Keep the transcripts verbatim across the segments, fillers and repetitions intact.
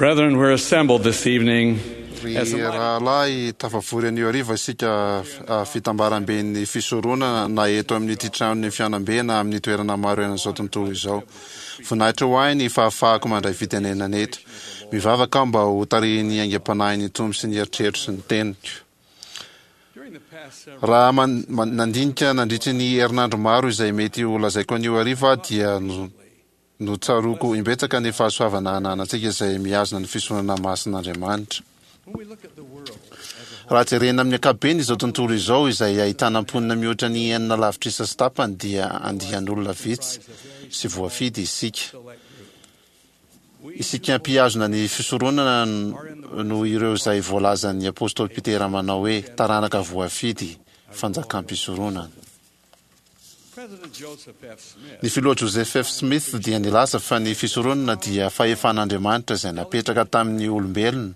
Brethren, we're assembled this evening Ry as a rahalahy, tafavory anio hariva isika fitambaramben'ny fisoronana na eto amin'ity tranon'ny fihaonambe na amin'ny toerana maro eran'izao tontolo izao. Voninahitra ho ahy ny fahafahako mandray fitenenana eto. Mivavaka aho mba ho tarihin'ny aingam-panahin'ny Tompo sy ny eritreritro sy ny teniko. Raha nandinika nandritry ny herinandro maro izay mety ho lazaiko anio hariva aho dia Notsaroako imbetsaka ny fahasoavana ananantsika izay mihazona ny fisoronana masin'Andriamanitra. Raha jerena amin'ny ankapobeny izao tontolo izao izay ahitana mponina mihoatra ny enina lavitrisa sy tapany dia andian'olona vitsy sy voafidy isika. Isika mpihazona ny fisoronana no ireo izay voalazan'ny apostoly Petera manao hoe taranaka voafidy, fanjakam-pisoronana. Ny Filoha Joseph F. Smith dia nilaza fa ny fisoronana dia fahefan'Andriamanitra izay napetraka tamin'ny olombelona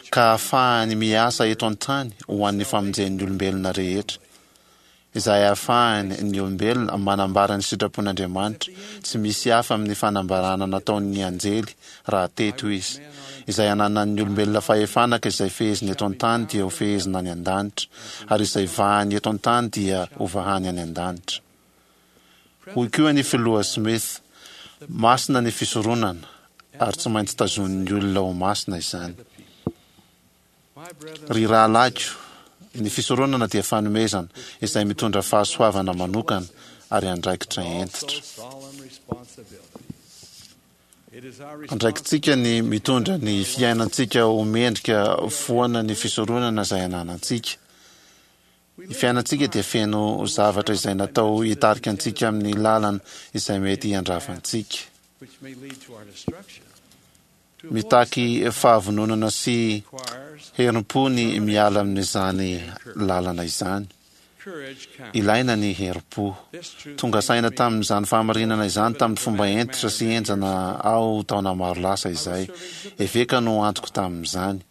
ka ahafahany miasa eto an-tany ho an'ny famonjen'ny olombelona rehetra, izay ahafahany ny olombelona manambara ny sitrapon'Andriamanitra tsy misy hafa amin'ny fanambarana nataon'ny anjely raha teto izy. Izay ananan'ny olombelona fahefana ka izay feheziny eto an-tany dia ho fehezina any an-danitra, ary izay vahany eto an-tany dia ho vahany any an-danitra. Hoy koa ny Filoha Smith, Masina ny fisoronana, ary tsy maintsy tazonin'ny olona ho masina izany. Ry rahalahiko, ny fisoronana dia fanomezana izay mitondra fahasoavana manokana ary andraikitra hentitra. Andraikitsika ny mitondra ny fiainantsika ho mendrika foana ny fisoronana izay ananantsika. Ny fiainantsika dia feno zavatra izay natao hitarika antsika amin'ny lalana izay mety handrava antsika. Mitaky fahavononana sy herim-po ny miala amin'izany lalana izany. Ilaina ny herim-po. Tonga saina tamin'izany fahamarinana izany tamin'ny fomba hentitra sy henjana aho taona maro lasa izay. Eveka no antoko tamin'izany.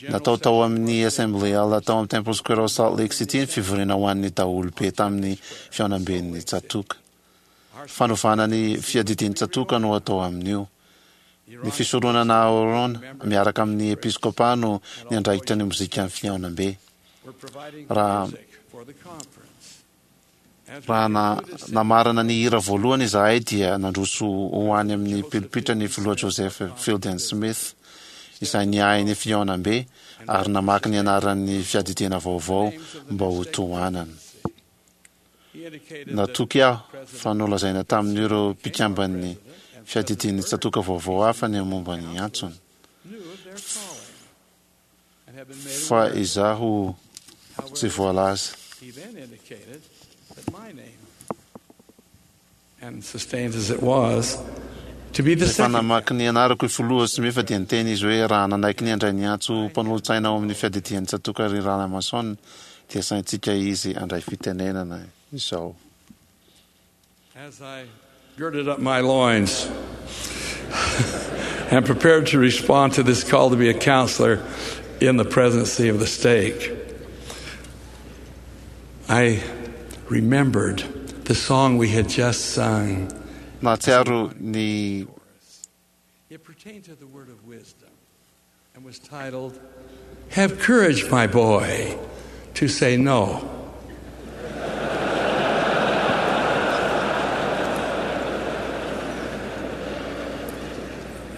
Natao tao amin'ny Assembly Hall tao amin'ny Temple Square ao Salt Lake City ny fivoriana ho an'ny daholobe tamin'ny fihaonamben'ny tsatòka. Fanovana ny fiadidian'ny tsatòka no atao amin'io. Ny fisoronana Aharôna miaraka amin'ny episkôpà no niandraikitra ny mozikan'ny fihaonambe. Raha raha namarana ny hira voalohany izahay dia nandroso ho any amin'ny pilipitra ny Filoha Joseph Fielding Smith, izay niahy ny fihaonambe ary namaky ny anaran'ny fiadidiana vaovao mba ho tohanana. Natoky aho fa nolazaina tamin'ireo mpikamban'ny fiadidian'ny tsatòka vaovao hafa ny momba ny antsony, fa izaho tsy voalaza. Rehefa namaky ny anarako i Filoha Smith dia niteny izy hoe raha nanaiky ny handray ny antso ho mpanolotsaina ao amin'ny fiadidian'ny tsatòka ry Rahalahy Mason dia saintsika izy handray fitenenana izao. As I girded up my loins and prepared to respond to this call to be a counselor in the presidency of the stake, I remembered the song we had just sung. Nahatsiaro ny It pertained to the word of wisdom and was titled, Have Courage, My Boy, to Say No.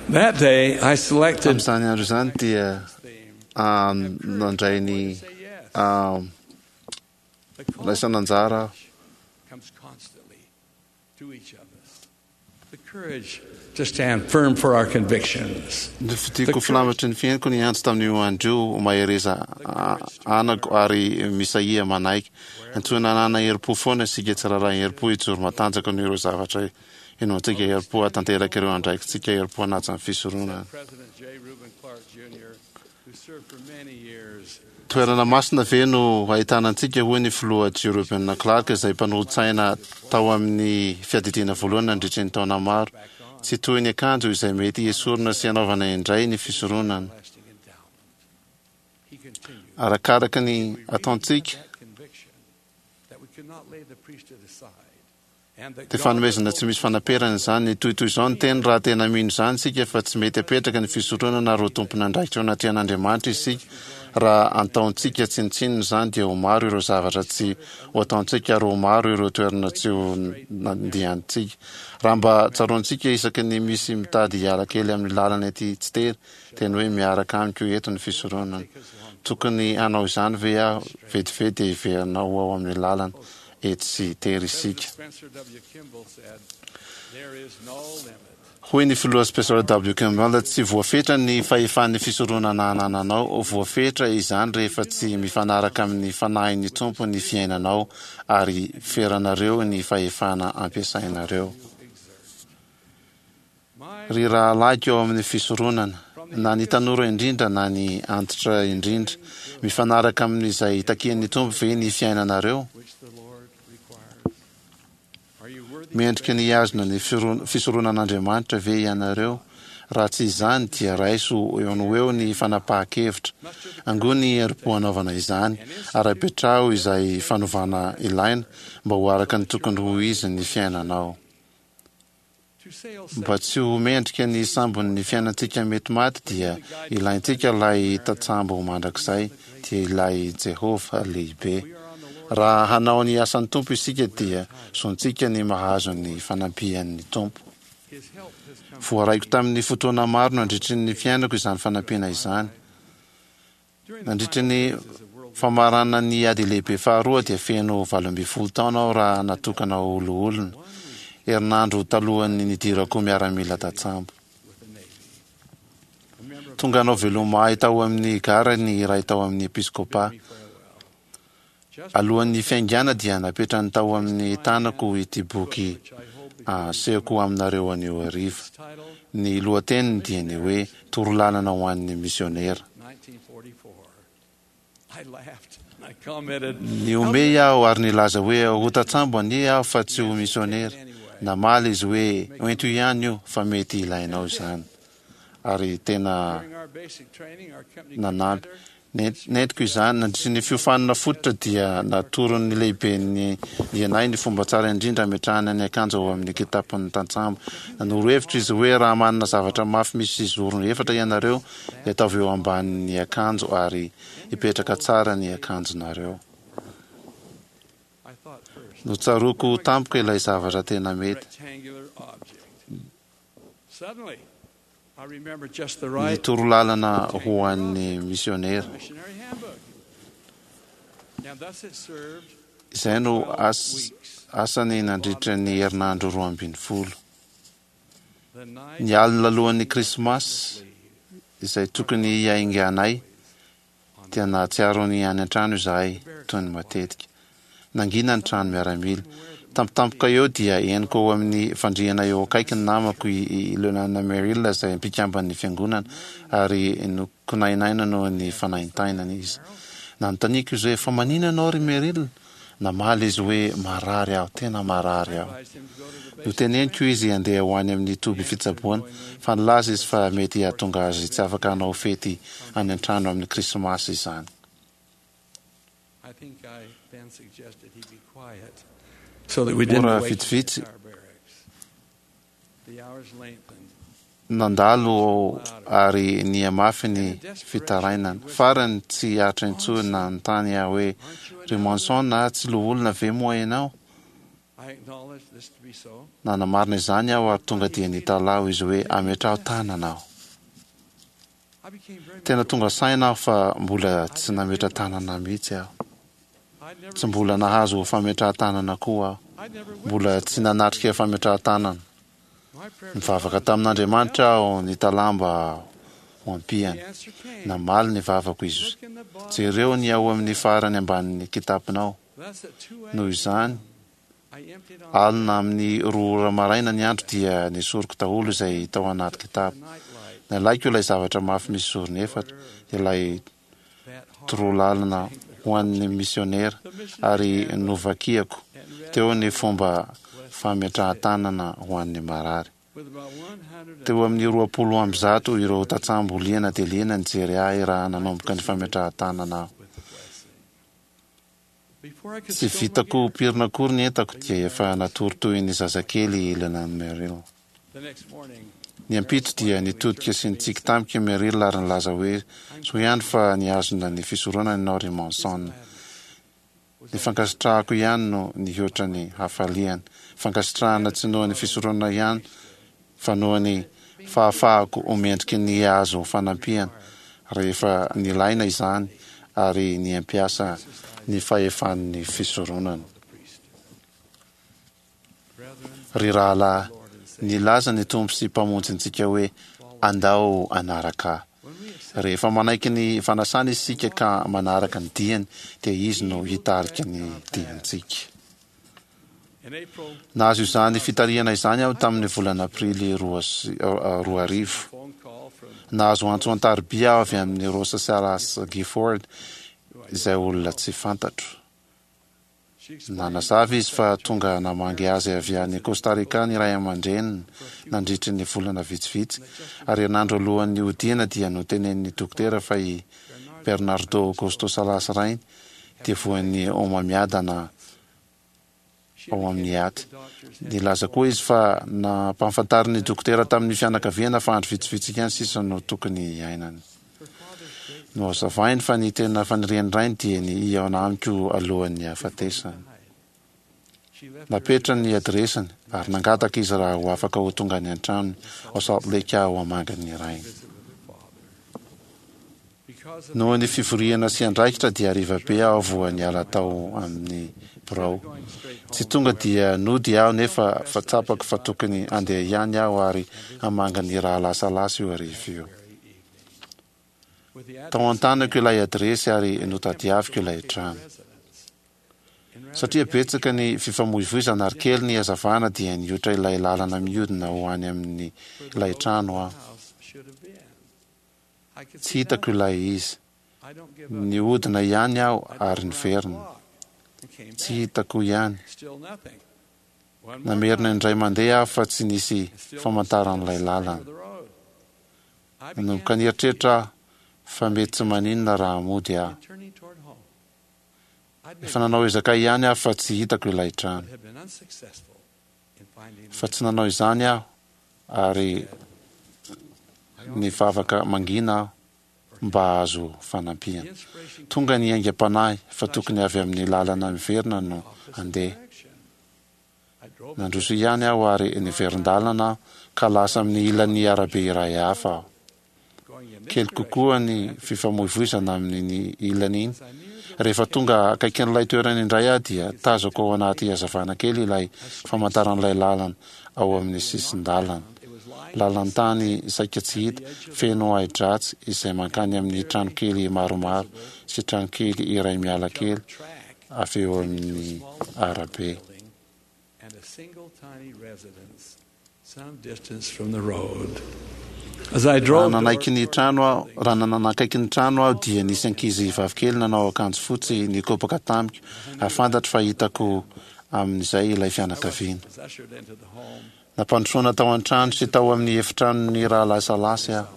That day, I selected Tamin'izany andro izany dia nandray ny raisana anjara aho. comes constantly to each of us. The courage to stand firm for our convictions. Nofidiko filamatry ny fihainoko ny antso tamin'io andro io, Mahereza anako ary misahia manaiky. Antsoina hanana herim-po foana isika tsirairay, herim-po hijoro matanjaka noho ireo zavatra inoantsika, herim-po hahatanteraka ireo andraikitsika, herim-po hanaja ny fisoronana. President J. Reuben Clark Junior, who served for many years Toerana masina ve no ahitana antsika, hoy ny Filoha J. Reuben Clark, izay mpanolotsaina tao amin'ny Fiadidiana Voalohany nandritry ny taona maro. Tsy toy ny akanjo izay mety hesorina sy hanaovana indray ny fisoronana. Arakaraka ny ataontsika, that conviction that we could not lay the priesthood aside. Dia fanomezana tsy misy fanaperana izany. Toy toy izao ny teny: raha tena mino izany isika fa tsy mety apetraka ny fisoronana ary ho tompon'andraikitra eo anatrehan'Andriamanitra isika, raha ataontsika tsinontsinona izany, dia ho maro ireo zavatra tsy ho ataontsika ary ho maro ireo toerana tsy ho nandiantsika. Raha mba tsaroantsika isaky ny misy mitady hiala kely amin'ny lalana ety tsy tery, teny hoe miaraka amiko eto ny fisoronana, tokony hanao izany ve aho? Vetivety dia hiverina ho ao amin'ny lalana etsy sy tery isika. Spencer W. Kimball said, "There is no limit Hoy ny filoha Spencer W. Kimball: "Tsy voafetra ny fahefan'ny fisoronana anananao. Voafetra izany rehefa tsy mifanaraka amin'ny fanahin'ny Tompo ny fiainanao ary feranareo ny fahefana ampiasainareo." My Ry rahalahiko ao amin'ny fisoronana, na ny tanora indrindra na ny antitra indrindra, mifanaraka amin'izay takian'ny Tompo ve ny fiainanareo? which the Lord requires. Are you worthy to Mendrika ny hihazona ny firo- fisoronan'Andriamanitra ve ianareo? Raha tsy izany, dia raiso eo no eo ny fanapahan-kevitra. Angony herim-po hanaovana izany ary apetraho izay fanovana ilaina mba ho araka ny tokony ho izy ny fiainanao. to sail Mba tsy ho mendrika ny sambon'ny fiainantsika mety maty, dia ilaintsika ilay tantsambo mandrakizay, dia ilay Jehovah lehibe. Raha hanao ny asan'ny Tompo isika, dia zontsika ny mahazo ny fanampian'ny Tompo. His help has come. Voaraiko tamin'ny fotoana maro nandritry ny fiainako izany fanampiana izany. During the Nandritry ny final phases of World War famarana ny ady lehibe faharoa, dia feno valo ambin'ny folo taona aho raha natokana ho loholona, herinandro talohan'ny nidirako miaramila tantsambo. with the Navy. A member of Tonga hanao veloma ahy tao amin'ny gara ny iray tao amin'ny episkopa. me farewell. Just Alohan'ny fiaingana, dia napetrany tao amin'ny tanako ity boky which I hold before asehoko aminareo anio hariva. its title, Ny lohateniny dia ny hoe Torolalana ho an'ny misionera. nineteen forty-four. I laughed and I commented, Nihomehy aho ary nilaza hoe ho tantsambo anie aho fa tsy ho misionera. Namaly izy hoe hoento ihany io fa mety ilainao izany. Ary tena During our basic training, our company nanampy. commander Nent- Nentiko izany. Nandritry ny fiofanana fototra, dia natoron'ny lehiben'ny anay ny fomba tsara indrindra ametrahana ny akanjo ao amin'ny kitapon'ny tantsambo. Nanoro hevitra izy hoe raha manana zavatra mafy misy zorony efatra ianareo, dia ataovy eo ambanin'ny akanjo ary hipetraka tsara ny akanjonareo. I thought first, Notsaroako tampoka ilay zavatra tena mety. Rectangular object. Suddenly, I remember just the Ny right torolalana ho an'ny misionera. missionary handbook. Now, thus it served Izay no as, weeks. asany nandritra ny herinandro roa ambin'ny folo. The night Ny alina alohan'ny Krismasy izay tokony hiainganay, dia nahatsiaro ny any an-trano izahay toy ny matetika. Nangina ny trano miaramila. Tampotampoka eo dia henoko ao amin'ny fandriana eo akaiky ny namako i i Leonana Merrill izay mpikamban'ny fiangonana, ary nikonainaina noho ny fanaintainana izy. Nanontaniako izy hoe fa maninona ianao ry Merrill? Namaly izy hoe marary aho, tena marary aho. Advised him to go to the basic Noteneniko izy handeha ho any amin'ny toby fitsaboana, fa nilaza izy fa mety hahatonga azy tsy afaka hanao fety any an-trano amin'ny Krismasy izany. I think I then suggested he be quiet so that we didn't Ora wake the vitsivitsy entire barracks. The hours lengthened. nandalo ary nihamafy ny fitarainana. Farany tsy aritra intsony, nanontany aho hoe ry Monson na tsy loholona ve moa ianao? I acknowledged this to be so. Nanamarina izany aho ary tonga dia nitalaho izy hoe ametraho tanana aho. I became very Tena tonga saina aho fa mbola tsy nametra-tanana mihitsy aho. I'd never Tsy mbola nahazo fametrahan-tanana koa aho. I'd never Mbola tsy nanatrika fametrahan-tanana. My prayer Nivavaka tamin'Andriamanitra aho nitalaho mba ho ampiany. The answer came. Namaly ny vavako izy. Look in the bottom. Jereo ny ao amin'ny farany ambanin'ny kitaponao. Thus at two Noho izany, I emptied on alina amin'ny roa ora maraina ny andro, dia nesoriko daholo izay tao anaty kitapo. The nightlight. Nalaiko ilay zavatra mafy misy zorony efatra, ilay That hard torolalana ho an'ny misionera, ary novakiako teo ny fomba fametrahan-tanana ho an'ny marary. With about one hundred Teo amin'ny roapolo amby zato ireo tantsambo liana dia liana nijery ahy raha nanomboka ny fametrahan-tanana aho. With the blessing. Tsy vitako pirina akory ny entako dia efa natory toy ny zazakely i Leland Merrill. Ny ampitso dia nitodika sy nitsiky tamiko i Merrill ary nilaza hoe, "Soa ihany fa nihazona ny fisoronana ianao ry Monson." Ny fankasitrahako ihany no nihoatra ny hafaliany. Fankasitrahana tsy noho ny fisoronana ihany fa noho ny fahafahako ho mendriky ny hahazo fanampiana rehefa nilaina izany ary ny hampiasa ny fahefan'ny fisoronana. Ry rahalahy, nilaza ny Tompo sy Mpamonjintsika hoe, "Andao hanaraka Ahy." Rehefa manaiky ny fanasana isika ka manaraka ny diany, dia Izy no hitarika ny diantsika. Nahazo izany fitarihana izany aho tamin'ny volana Aprily roa sy roa arivo. Nahazo antso an-tariby aho avy amin'i Rosa Salas Gifford, izay olona tsy fantatro. Nanazava izy fa tonga namangy azy avy any Costa Rica ny ray aman-dreniny nandritry ny volana vitsivitsy, ary herinandro alohan'ny hodiana dia notenenin'ny dokotera fa i Bernardo Augusto Salas rainy dia voan'ny homamiadana ao amin'ny aty. Nilaza koa izy fa nampahafantarin'ny dokotera tamin'ny fianakaviana fa andro vitsivitsy ihany sisa no tokony hiainany. Nohazavainy fa ny tena fanirian'ny rainy dia ny hihaona amiko alohan'ny hahafatesany. Napetrany ny adiresiny ary nangataka izy raha ho afaka ho tonga any an-tranony ao Salt Lake aho hamangy ny rainy. Noho ny fivoriana sy andraikitra dia hariva be aho vao niala tao amin'ny birao. Tsy tonga dia nody aho nefa fa tsapako fa tokony handeha ihany aho ary hamangy ny rahalahy Salas io hariva io. Tao an-tanako ilay adiresy ary notadiaviko ilay trano. Satria betsaka ny fifamoivoizana ary kely ny hazavana dia nihoatra ilay lalana mihodina ho any amin'ny ilay trano aho. Tsy hitako ilay izy. Nihodina ihany aho ary niverina. Tsy hitako ihany. Namerina indray mandeha aho fa tsy nisy famantaran'ilay lalana. Nanomboka nieritreritra aho fa mety tsy maninona raha mody aho. Efa nanao ezaka ihany aho fa tsy hitako ilay trano. Fa tsy nanao izany aho ary nivavaka mangina aho mba hahazo fanampiana. Tonga ny aingam-panahy fa tokony avy amin'ny lalana miverina no handeha. Nandroso ihany aho ary niverin-dalana aho ka lasa amin'ny ilan'ny arabe iray hafa aho. Kely kokoa ny fifamoivoizana amin'iny ilany iny. Rehefa tonga akaikin'ilay toerana indray aho dia tazako ao anaty hazavana kely ilay famantaran'ilay lalana ao amin'ny sisin-dalana. Lalan-tany saika tsy hita, feno ahi-dratsy izay mankany amin'ny tranokely maromaro sy tranokely iray miala kely avy eo amin'ny arabe. Raha nanaiky ny trano aho, raha nanakaiky ny trano aho dia nisy ankizy vavikely nanao akanjo fotsy nikopaka tamiko ary fantatro fa hitako amin'izay ilay fianakaviana. Nampandrosoana tao an-trano sy tao amin'ny efitranon'ny rahalahy Salasy aho.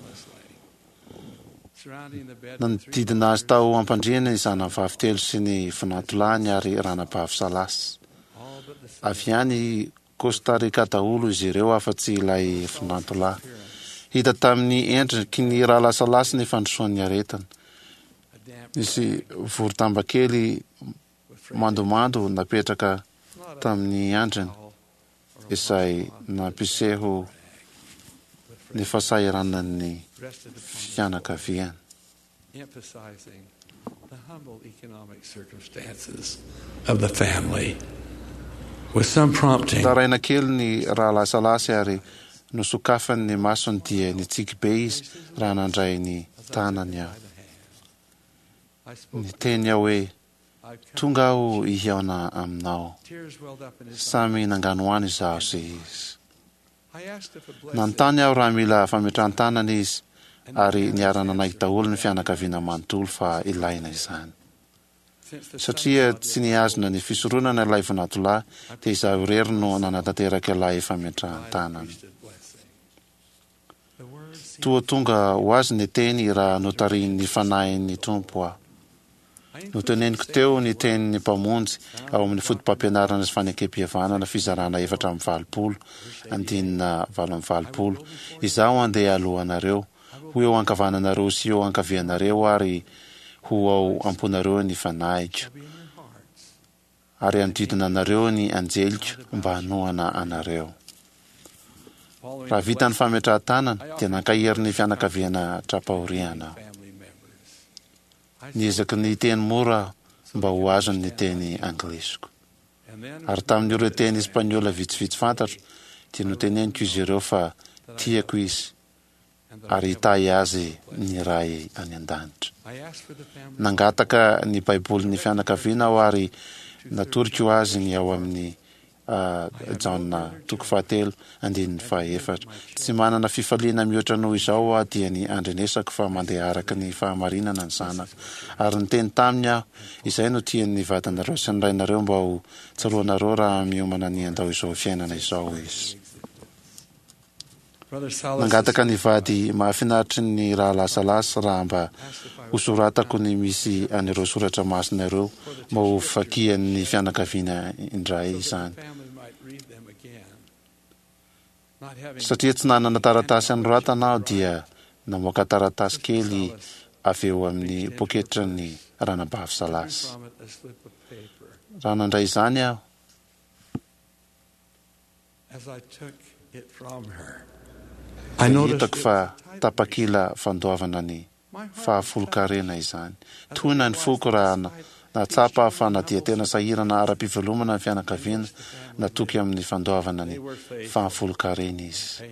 Nanodidina azy tao am-pandriana ny zanany vavy telo sy ny vinantolahiny ary ranabavy Salasy. Avy any Costa Rica daholo izy ireo afa-tsy ilay vinantolahy. Hita tamin'ny endriky ny rahalahy Salasy ny fandrosoan'ny aretina. Nisy voro-damba kely mandomando napetraka tamin'ny andriny izay nampiseho ny fahasahiranan'ny fianakaviany. Emphasizing the humble economic circumstances of the family. With some prompting, Taraina kely ny rahalahy Salasy ary nosokafany ny masony dia nitsiky be izy raha nandray ny tanany aho. Niteny aho hoe, "Tonga aho hihaona aminao." tears welled up in his Samy nanganohano izaho sy izy. I asked if a blessing Nanontany aho raha mila fametrahan-tanana izy ary niara-nanaiky daholo ny fianakaviana manontolo fa ilaina izany. since the Satria tsy nihazona ny fisoronana ilay vinantolahy dia izaho irery no nanatanteraka ilay fametrahan-tanana. priesthood blessing. The words seemed Toa tonga ho azy ny teny raha notarihin'ny fanahin'ny Tompo aho. Noteneniko teo ny tenin'ny Mpamonjy ao amin'ny Fotopampianarana sy Fanekempihavanana fizarana efatra amby valopolo, andinina valo amby valopolo, Izaho handeha alohanareo, ho eo ankavananareo sy eo ankavianareo ary ho ao am-ponareo ny Fanahiko, ary hanodidina anareo ny anjeliko mba hanohana anareo. Raha vita ny fametrahan-tanana, dia nankahery ny fianakaviana tra-pahoriana aho. Niezaka ny hiteny mora aho mba ho azony ny teny anglisiko. Ary tamin'ireo teny espaniola vitsivitsy fantatro, dia noteneniko izy ireo fa tiako izy ary hitahy azy ny Ray any An-danitra. Nangataka ny Baibolin'ny fianakaviana aho ary natoriko azy ny ao amin'ny Jaona toko fahatelo andininy fahaefatra. Tsy manana fifaliana mihoatra noho izao aho dia ny andrenesako fa mandeha araka ny fahamarinana ny zanako. Ary niteny taminy aho, Izay no tian'ny vadinareo sy ny rainareo mba ho tsaroanareo raha miomana ny handao izao fiainana izao izy. Nangataka ny vady mahafinaritry ny Rahalahy Salas raha mba hosoratako ny misy an'ireo soratra masina ireo mba ho vakian'ny fianakaviana indray izany. Satria tsy nanana taratasy hanoratana aho dia namoaka taratasy kely avy eo amin'ny poketran'ny Ranabavy Salas. Raha nandray izany aho, Dia hitako fa tapakila fandoavana ny fahafolonkarena izany. Tohina ny foko raha nahatsapa aho fa na dia tena sahirana ara-pivelomana ny fianakaviana, natoky amin'ny fandoavana ny fahafolonkarena izy.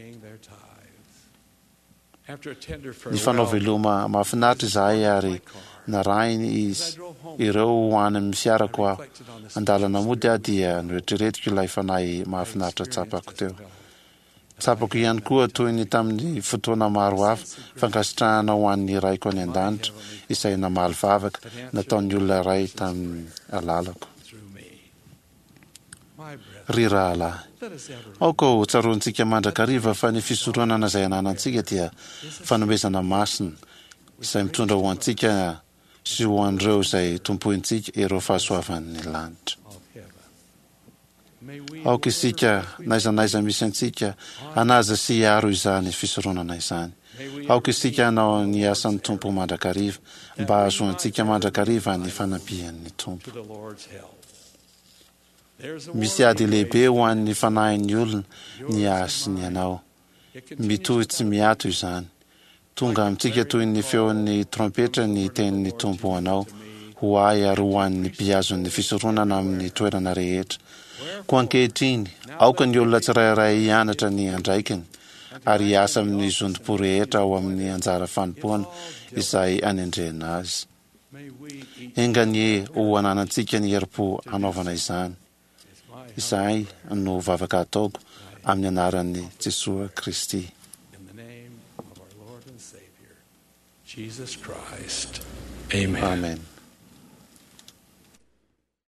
Nifanao veloma mahafinaritra izahay ary narahiny izy ireo ho any amin'ny fiarako aho. An-dalana mody aho dia noeritreretiko ilay fanahy mahafinaritra tsapako teo. Tsapako ihany koa toy ny tamin'ny fotoana maro hafa, fankasitrahana ho an'ny Raiko any An-danitra izay namaly vavaka nataon'ny olona iray tamin'ny alalako. Ry rahalahy, aoka ho tsaroantsika mandrakariva fa ny fisoronana izay ananantsika dia fanomezana masina izay mitondra ho antsika sy ho an'ireo izay tompointsika ireo fahasoavan'ny lanitra. Aoka isika, n'aiza n'aiza misy antsika, hanaja sy hiaro izany fisoronana izany. Aoka isika hanao ny asan'ny Tompo mandrakariva, mba hahazoantsika mandrakariva ny fanampian'ny Tompo. Misy ady lehibe ho an'ny fanahin'ny olona ny ahy sy ny anao. Mitohy tsy miato izany. Tonga amintsika toy ny feon'ny trompetra ny tenin'ny Tompo ho anao, ho ahy ary ho an'ny mpihazon'ny fisoronana amin'ny toerana rehetra. Koa ankehitriny, aoka ny olona tsirairay hianatra ny andraikiny ary hiasa amin'ny zotom-po rehetra ao amin'ny anjara fanompoana izay anendrena azy. Enga anie ho ananantsika ny herim-po hanaovana izany. Izay no vavaka ataoko amin'ny anaran'i Jesoa Kristy. Amen.